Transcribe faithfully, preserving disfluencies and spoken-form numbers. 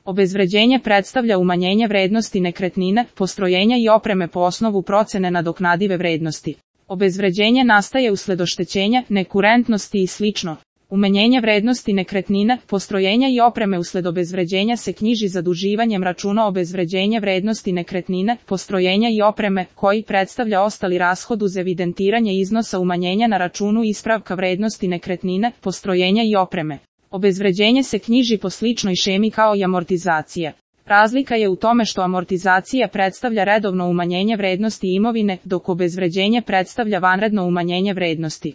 Obezvređenje predstavlja umanjenje vrednosti nekretnine, postrojenja i opreme po osnovu procene nadoknadive vrednosti. Obezvređenje nastaje usled oštećenja, nekurentnosti i slično. Umanjenje vrednosti nekretnine, postrojenja i opreme usled obezvređenja se knjiži zaduživanjem računa obezvređenje vrednosti nekretnine, postrojenja i opreme, koji predstavlja ostali rashod uz evidentiranje iznosa umanjenja na računu ispravka vrednosti nekretnine, postrojenja i opreme. Obezvređenje se knjiži po sličnoj šemi kao i amortizacija. Razlika je u tome što amortizacija predstavlja redovno umanjenje vrednosti imovine, dok obezvređenje predstavlja vanredno umanjenje vrednosti.